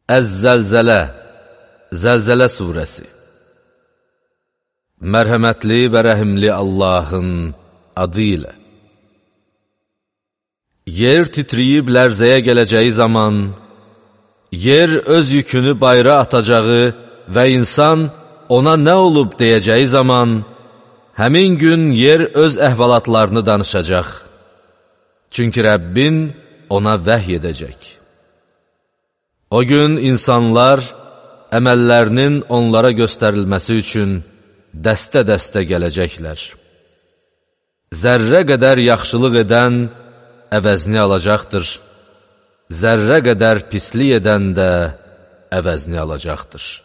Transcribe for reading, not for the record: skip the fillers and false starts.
Əz-Zəlzələ, Zəlzələ surəsi. Mərhəmətli və rəhimli Allahın adı ilə. Yer titriyib lərzəyə gələcəyi zaman, yer öz yükünü bayra atacağı və insan ona nə olub deyəcəyi zaman, həmin gün yer öz əhvalatlarını danışacaq. Çünki Rəbbin ona vəhy edəcək. O gün insanlar əməllərinin onlara göstərilməsi üçün dəstə-dəstə gələcəklər. Zərrə qədər yaxşılıq edən əvəzini alacaqdır. Zərrə qədər pislik edən də əvəzini alacaqdır.